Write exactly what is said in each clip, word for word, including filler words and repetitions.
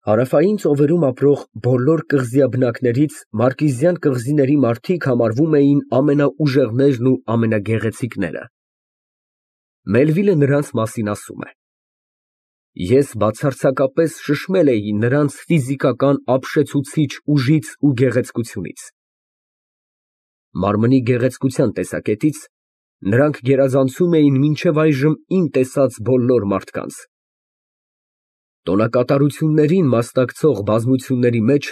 Հարավային ծովերում ապրող բոլոր կղզիաբնակներից մարկիզյան կղզիների մարդիկ համարվում էին ամենաուժեղներն ու ամենագեղեցիկները։ Մելվիլը նրանց մասին ասում է. Ես բացարձակապես շշմել էի նրանց ֆիզիկական ապշեցուցիչ ուժից ու գեղեցկությունից։ Մարմնի գեղեցկության տեսակետից նրանք գերազանցում էին մինչև այժմ իմ տեսած բոլոր մարդկանց։ Տոնակատարություններին մասնակցող բազմությունների մեջ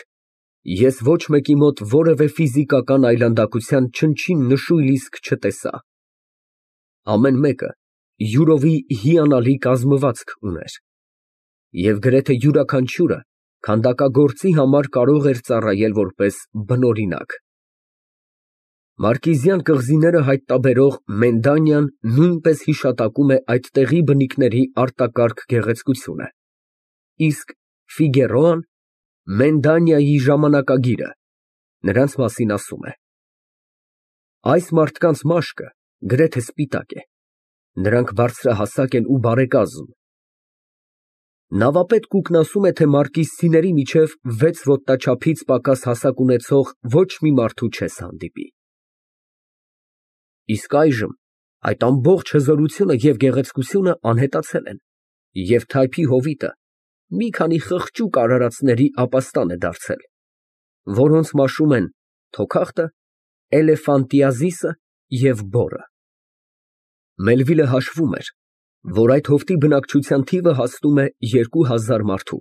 ես ոչ մեկի մոտ որևէ ֆիզիկական այլանդակության չնչին նշույլ իսկ չտեսա։ Ամեն մեկը յուրովի հիանալի կազմվածք ուներ, և գրեթե յուրաքանչյուրը քանդակագործի համար կարող էր ծառայել որպես բնօրինակ։ Մարկիզյան կղզիները հայտնաբերող Մենդանյան նույնպես հիշատակում է այդ տեղի բնիկների արտակարգ գեղեցկությունը, իսկ Ֆիգերոան Մենդանիայի ժամանակագիրը նրանց մասին ասում է. Այս մարդկանց մաշկը գրեթե սպիտակ է, նրանք բարձրահասակ են ու բարեկազմ։ Նավապետ Կուկն ասում է, թե մարկիսցիների միջև վեց ոտնաչափից պակաս հասակ ունեցող ոչ մի մարդու չես հանդիպի։ Իսկ այժմ այդ ամբողջ հզորությունը և գեղեցկությունը անհետացել են, և թայփի հովիտը մի քանի խղճուկ արարածների ապաստան է դարձել, որոնց մաշում են թոքախտը, էլեֆանտիազիսը և բորը։ Մելվիլը հաշվում էր, որ այդ հովտի բնակչության թիվը հասնում է երկու հազար մարդու,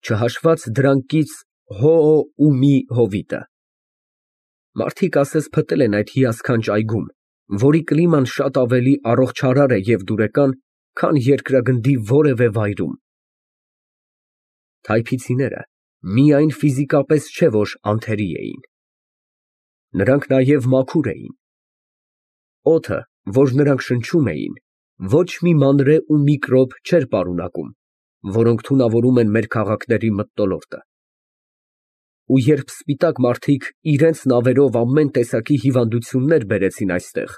չհաշված դրանքից Հոոումի հովիտը։ Մարդիկ ասես փտել են այդ հիասքանչ այգում, որի կլիման շատ ավելի առողջարար է և դուրեկան, քան երկրագնդի որևէ վայրում։ Թայփիցիները միայն ֆիզիկապես չէ, որ անթերի էին, նրանք նաև մաքուր էին։ Օդը, որ նրանք շնչում էին, ոչ մի մանրե ու միկրոբ չէր պարունակում, որոնք թունավորում են մեր քաղաքների մթնոլորտը։ Ու երբ սպիտակ մարդիկ իրենց նավերով ամեն տեսակի հիվանդություններ բերեցին այստեղ,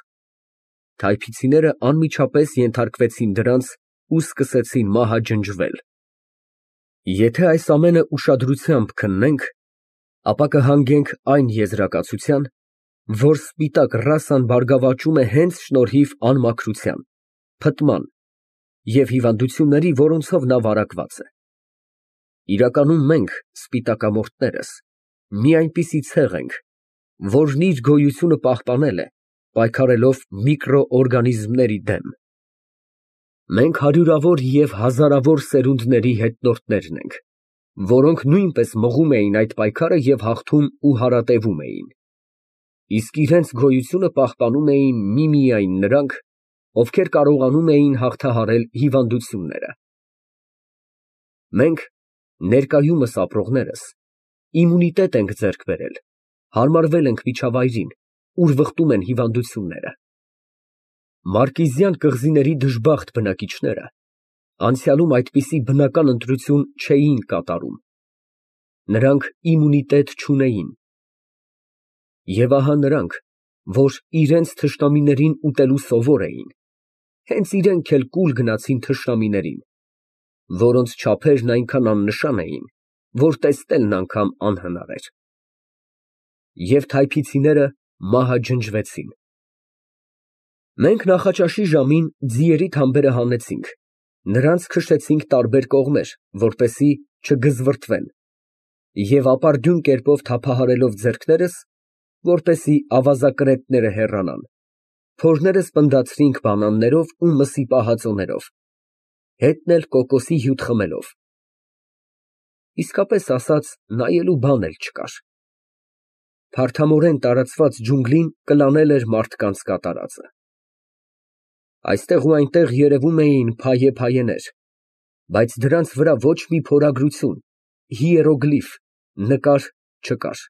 թայփիցիները անմիջապես ենթարկվեցին դրանց ու սկսեցին մահաջնջվել։ Եթե այս ամենը ուշադրությամբ քննենք, ապա կհանգենք այն եզրակացության, որ սպիտակ ռասան բարգավաճում է հենց շնորհիվ անմաքրության, փտման և հիվանդությունների, որոնցով նա վարակված է։ Իրականում մենք, սպիտակամորթներս, մի այնպիսի ցեղ ենք, որն իր գոյությունը պահպանել է, պայքարելով միկրոօրգանիզմների դեմ։ Մենք հարյուրավոր և հազարավոր սերունդների հետնորդներն ենք, որոնք նույնպես մղում էին այդ պայքարը և հաղթում ու հարատևում էին, իսկ իրենց գոյությունը պահպանում էին միմիայն նրանք, ովքեր կարողանում էին հաղթահարել հիվանդությունները։ Մենք, ներկայումս ապրողներս, իմունիտետ ենք ձեռք բերել, հարմարվել ենք միջավայրին, ուր վխտում են հիվանդությունները։ Մարկիզյան կղզիների դժբախտ բնակիչները անցյալում այդպիսի բնական ընտրություն չէին կատարում, նրանք իմունիտետ չունեին։ Եվ ահա նրանք, որ իրենց թշնամիներին ուտելու սովոր էին, հենց իրենք էլ կուլ գնացին թշնամիներին, որոնց չափերն այնքան աննշան էին, որ տեսնելն անգամ անհնար էր։ Եվ թայփիցիները մահաջնջվեցին։ Մենք նախաճաշի ժամին ձիերի թամբերը հանեցինք, նրանց քշեցինք տարբեր կողմեր, որպեսզի չգզվռթվեն, և ապարդյուն կերպով թափահարելով ձեռքներս, որպեսզի ավազակրետները հեռանան, փորներս պնդացրինք բանաններով ու մսի պահածոներով, հետն էլ կոկոսի հյութ խմելով։ Իսկապես ասած, նայելու բան էլ չկար։ Փարթամորեն տարածված ջունգլին կլանել էր մարդկանց կատարածը։ Այստեղ ու այնտեղ երևում էին փայե֊փայեներ, բայց դրանց վրա ոչ մի փորագրություն, հիերոգլիֆ, նկար չկար։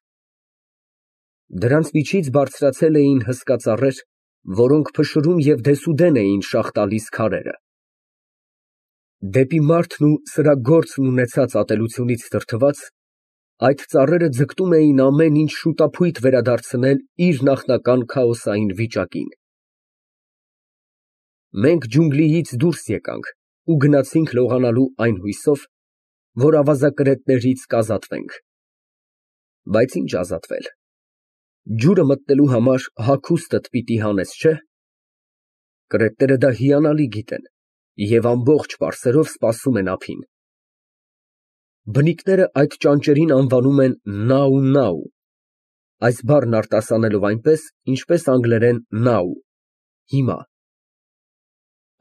Դրանց միջից բարձրացել էին հսկա ծառեր, որոնք փշրում և դեսուդեն էին շաղ տալիս քարերը։ Դեպի մարդն ու սրա գործն ունեցած ատելությունից դրդված, այդ ծառերը ձգտում էին ամեն ինչ շուտափույթ վերադարձնել իր նախնական քաոսային վիճակին։ Մենք ջունգլիից դուրս եկանք ու գնացինք լողանալու այն հույսով, որ ավազակրետներից կազատվենք։ Բայց ինչ ազատվել, ջուրը մտնելու համար հագուստդ պիտի հանես, չէ՞։ Կրետները դա հիանալի գիտեն և ամբողջ պարսերով սպասում են ափին։ Բնիկները այդ ճանճերին անվանում են նաու, այս բառն արտասանելով այնպես, ինչպես անգլերեն now, հիմա։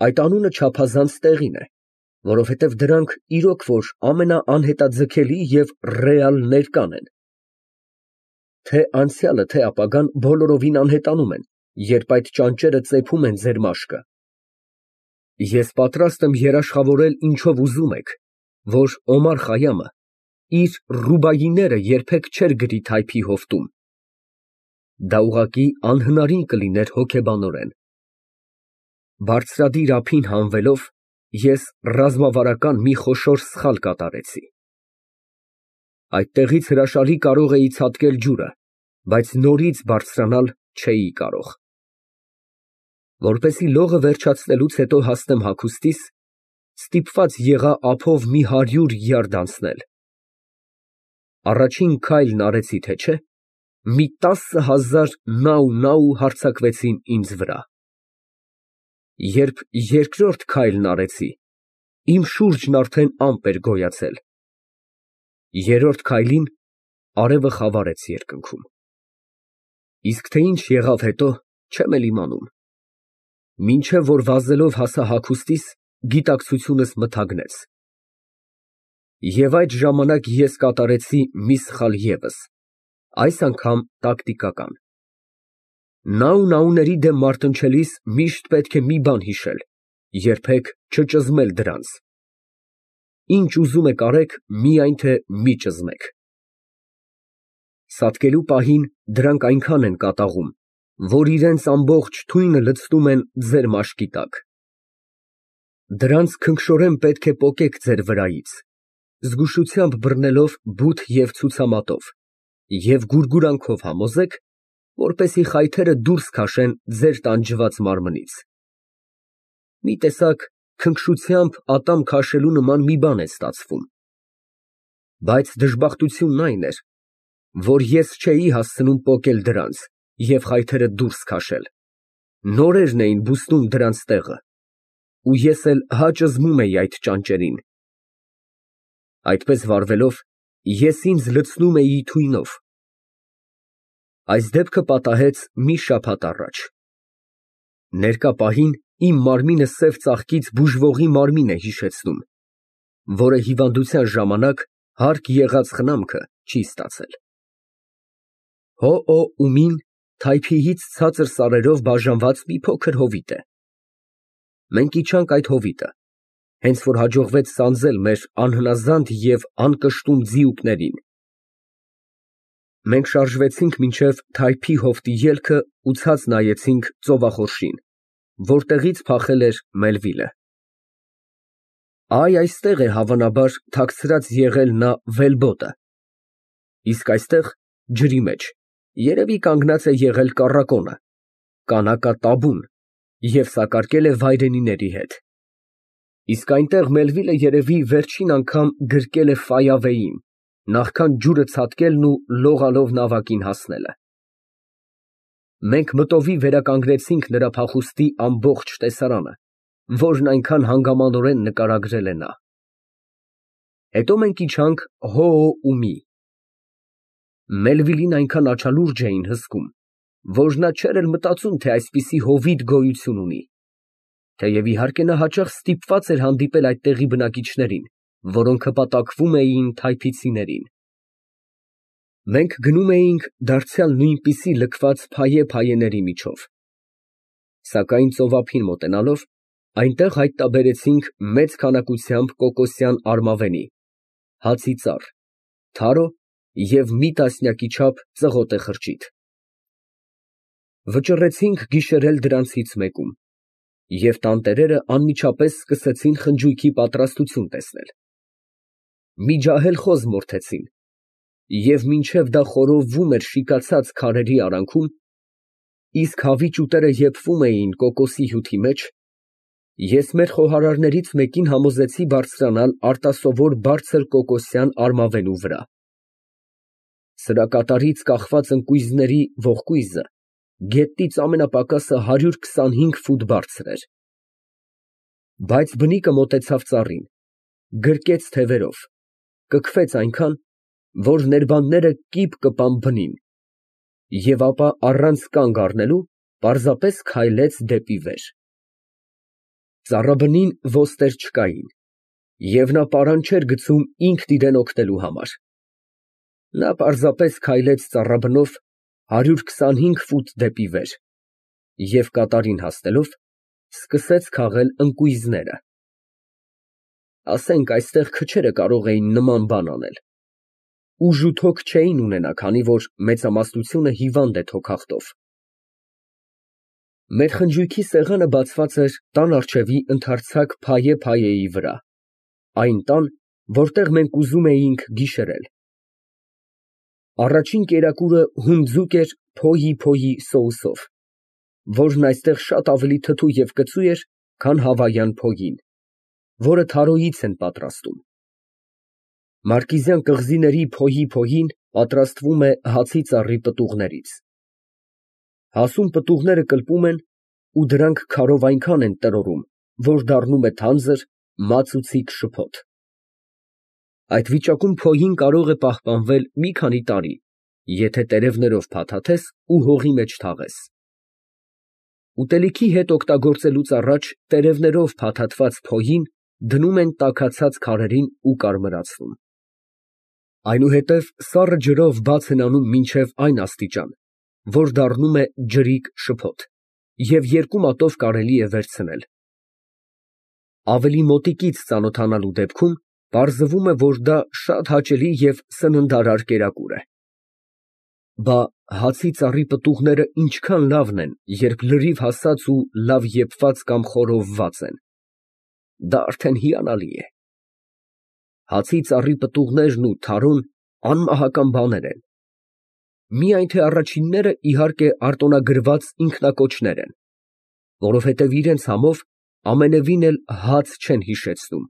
Այդ անունը չափազանց տեղին է, որովհետև դրանք իրոք որ ամենաանհետաձգելի և ռեալ ներկան են։ Թե անցյալը, թե ապագան բոլորովին անհետանում են, երբ այդ ճանճերը ծեփում են ձեր մաշկը։ Ես պատրաստ եմ երաշխավորել ինչով ուզում եք, որ Օմար Խայամը իր Ռուբայիները երբեք չէր գրի թայփի հովտում։ Դա ուղղակի անհնարին կլիներ հոգեբանորեն։ Բարձրադիր ափին հանվելով, ես ռազմավարական մի խոշոր սխալ կատարեցի։ Այդտեղից հրաշալի կարող էի ցատկել ջուրը, բայց նորից բարձրանալ չէի կարող։ Որպեսզի լողը վերջացնելուց հետո հասնեմ հագուստիս, ստիպված եղա ափով մի հարյուր յարդ անցնել։ Առաջին քայլն արեցի, թե չէ, մի տասը հազար նաու հարձակվեցին ինձ վրա։ Երբ երկրորդ քայլն արեցի, իմ շուրջն արդեն ամպ էր գոյացել։ Երրորդ քայլին արևը խավարեց երկնքում։ Իսկ թե ինչ եղավ հետո, չեմ էլ իմանում։ Մինչև որ վազելով հասա հագուստիս, գիտակցությունս մթագնեց։ Եվ այդ ժամանակ ես կատարեցի մի սխալ ևս, այս անգամ տակտիկական։ Նաուների դեմ մարտնչելիս միշտ պետք է մի բան հիշել, երբեք չճզմել դրանց։ Ինչ ուզում եք արեք, միայն թե մի ճզմեք։ Սատկելու պահին դրանք այնքան են կատաղում, որ իրենց ամբողջ թույնը լցնում են ձեր մաշկի տակ։ Դրանց քնքշորեն պետք է պոկեք ձեր վրայից, զգուշությամբ բռնելով բութ և ցուցամատով, և գուրգուրանքով համոզեք, որպեսզի խայթերը դուրս քաշեն ձեր տանջված մարմնից։ Մի տեսակ քնքշությամբ ատամ քաշելու նման մի բան է ստացվում։ Բայց դժբախտությունն այն էր, որ ես չէի հասցնում պոկել դրանց և խայթերը դուրս քաշել, նորերն էին բուստում դրանց տեղը, ու ես էլ հա ճզմում էի այդ ճանճերին։ Այդպես վարվելով, ես ինձ լցնում էի թույնով։ Այս դեպքը պատահեց մի շաբաթ առաջ։ Ներկա պահին իմ մարմինը սև ծաղկից բուժվողի մարմին է հիշեցնում, որը հիվանդության ժամանակ հարկ եղած խնամքը չի ստացել։ Հոօ թայփիից ցածր սարերով բաժանված մի փոքր հովիտ է։ Մենք իջանք այդ հովիտը, հենց որ հաջողվեց սանձել մեր անհնազանդ և անկշտում ձիուկներին։ Մենք շարժվեցինք մինչև թայփի հովտի ելքը ու ցած նայեցինք ծովախորշին, որտեղից փախել էր Մելվիլը։ Այ այստեղ է հավանաբար թաքցրած եղել նա վելբոտը, իսկ այստեղ, ջրի մեջ, երևի կանգնած է եղել կառակոնը, կանակատաբուն և սակարկել է վայրենիների հետ։ Իսկ այնտեղ Մելվիլը երևի վերջին անգամ գրկել է Ֆայավեին, նախքան ջուրը ցատկելն ու լողալով նավակին հասնելը։ Մենք մտովի վերականգնեցինք նրա փախուստի ամբողջ տեսարանը, որն այնքան հանգամանորեն նկարագրել է նա։ Հետո մենք իջանք Հոոումի։ Մելվիլին այնքան աչալուրջ էին հսկում, որ նա չէր էլ մտածում, թե այսպիսի հովիտ գոյություն ունի, թեև իհարկե նա հաճախ ստիպված էր հանդիպել այդտեղի բնակիչներին, որոնք հպատակվում էին թայփիցիներին։ Մենք գնում էինք դարձյալ նույնպիսի լքված փայե֊փայեների միջով։ Սակայն ծովափին մոտենալով, այնտեղ հայտնաբերեցինք մեծ քանակությամբ կոկոսյան արմավենի, հացի ծառ, թարո և մի տասնյակի չափ ծղոտե խրճիթ։ Վճռեցինք գիշերել դրանցից մեկում, և տանտերերը անմիջապես սկսեցին խնջույքի պատրաստություն տեսնել։ Մի ջահել խոզ մորթեցին, և մինչև դա խորովվում էր շիկացած քարերի արանքում, իսկ հավի ճուտերը եփվում էին կոկոսի հյութի մեջ, Ես մեր խոհարարներից մեկին համոզեցի բարձրանալ արտասովոր բարձր կոկոսյան արմավենու վրա։ Սրա կատարից կախված ընկույզների ողկույզը գետնից ամենապակասը հարյուր քսանհինգ ֆուտ բարձր էր։ Բայց բնիկը մոտեցավ ծառին, գրկեց թևերով, կքվեց այնքան, որ ներբանները կիպ կպան բնին, և ապա առանց կանգ առնելու պարզապես քայլեց դեպի վեր։ Ծառաբնին ոստեր չկային, և նա պարան չէր գցում ինքն իրան օգնելու համար։ Նա պարզապես քայլեց ծառաբնով հարյուր քսանհինգ ֆուտ դեպի վեր և կատարին հասնելով, սկսեց քաղել ընկույզները։ Ասենք այստեղ քչերը կարող էին նման բան անել։ Ուժ ու թոք չէին ունենա, քանի որ մեծամասնությունը հիվանդ է թոքախտով։ Մեր խնջույքի սեղանը բացված էր տան առջևի ընդարձակ փայե֊փայեի վրա, այն տան, որտեղ մենք ուզում էինք գիշերել։ Առաջին կերակուրը հունդձուկ էր փոյի֊փոյի սոուսով, որն այստեղ շատ ավելի թթու և կծու էր, քան հավայյան փոյին, որը թարոյից են պատրաստում։ Մարկիզյան կղզիների փոյի֊փոյին պատրաստվում է հացի ծառի պտուղներից։ Հասուն պտուղները կլպում են ու դրանք քարով այնքան են տրորում, որ դառնում է թանձր, մածուցիկ շփոթ։ Այդ վիճակում փոյին կարող է պահպանվել մի քանի տարի, եթե տերևներով փաթաթես ու հողի մեջ թաղես։ Ուտելիքի հետ օգտագործելուց առաջ տերևներով փաթաթված փոյին դնում են տաքացած քարերին ու կարմրացնում։ Այնուհետև սառը ջրով բաց են անում մինչև այն աստիճան, որ դառնում է ջրիկ շփոթ, և երկու մատով կարելի է վերցնել։ Ավելի մոտիկից ծանոթանալու դեպքում պարզվում է, որ դա շատ հաճելի և սննդարար կերակուր է։ Բա հացի ծառի պտուղները ինչքան լավն են, երբ լրիվ հասած ու լավ եփված կամ խորովված են։ Դա արդեն հիանալի է։ Հացի ծառի պտուղներն ու թարոն անմահական բաներ են։ Միայն թե առաջինները, իհարկե, արտոնագրված ինքնակոչներ են, որովհետև իրենց համով ամենևին էլ հաց չեն հիշեցնում։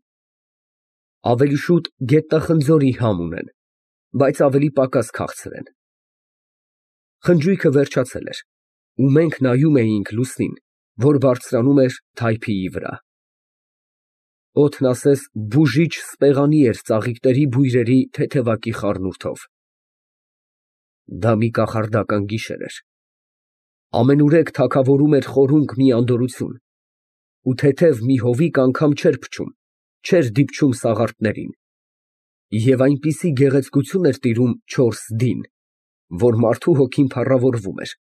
Ավելի շուտ գետնախնձորի համ ունեն, բայց ավելի պակաս քաղցր են։ Խնջույքը վերջացել էր, ու մենք նայում էինք լուսնին, որ բարձրանում էր թայփիի վրա։ Օդն ասես բուժիչ սպեղանի էր ծաղիկների բույրերի թեթևակի խառնուրդով։ Դա մի կախարդական գիշեր էր։ Ամենուրեք թագավորում էր խորունկ մի անդորրություն, ու թեթև մի հովիկ անգամ չէր փչում, չէր դիպչում սաղարթներին, և այնպիսի գեղեցկություն էր տիրում չորս դին, որ մարդու հոգին փառավորվում էր,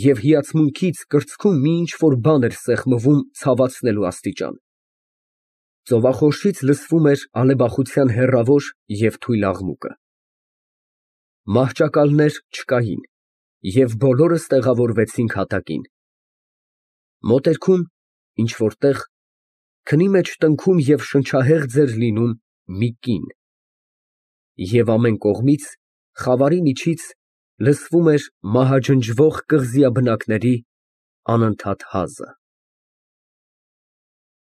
և հիացմունքից կրծքում մի ինչ֊որ բան էր սեղմվում ցավացնելու աստիճան։ Ծովախորշից լսվում էր ալեբախության հեռավոր և թույլ աղմուկը։ Մահճակալներ չկային, և բոլորս տեղավորվեցինք հատակին։ Մոտերքում, ինչ֊որ տեղ, քնի մեջ տնքում և շնչահեղձ էր լինում մի կին, և ամեն կողմից, խավարի միջից, լսվում էր մահաջնջվող կղզիաբնակների անընդհատ հազը։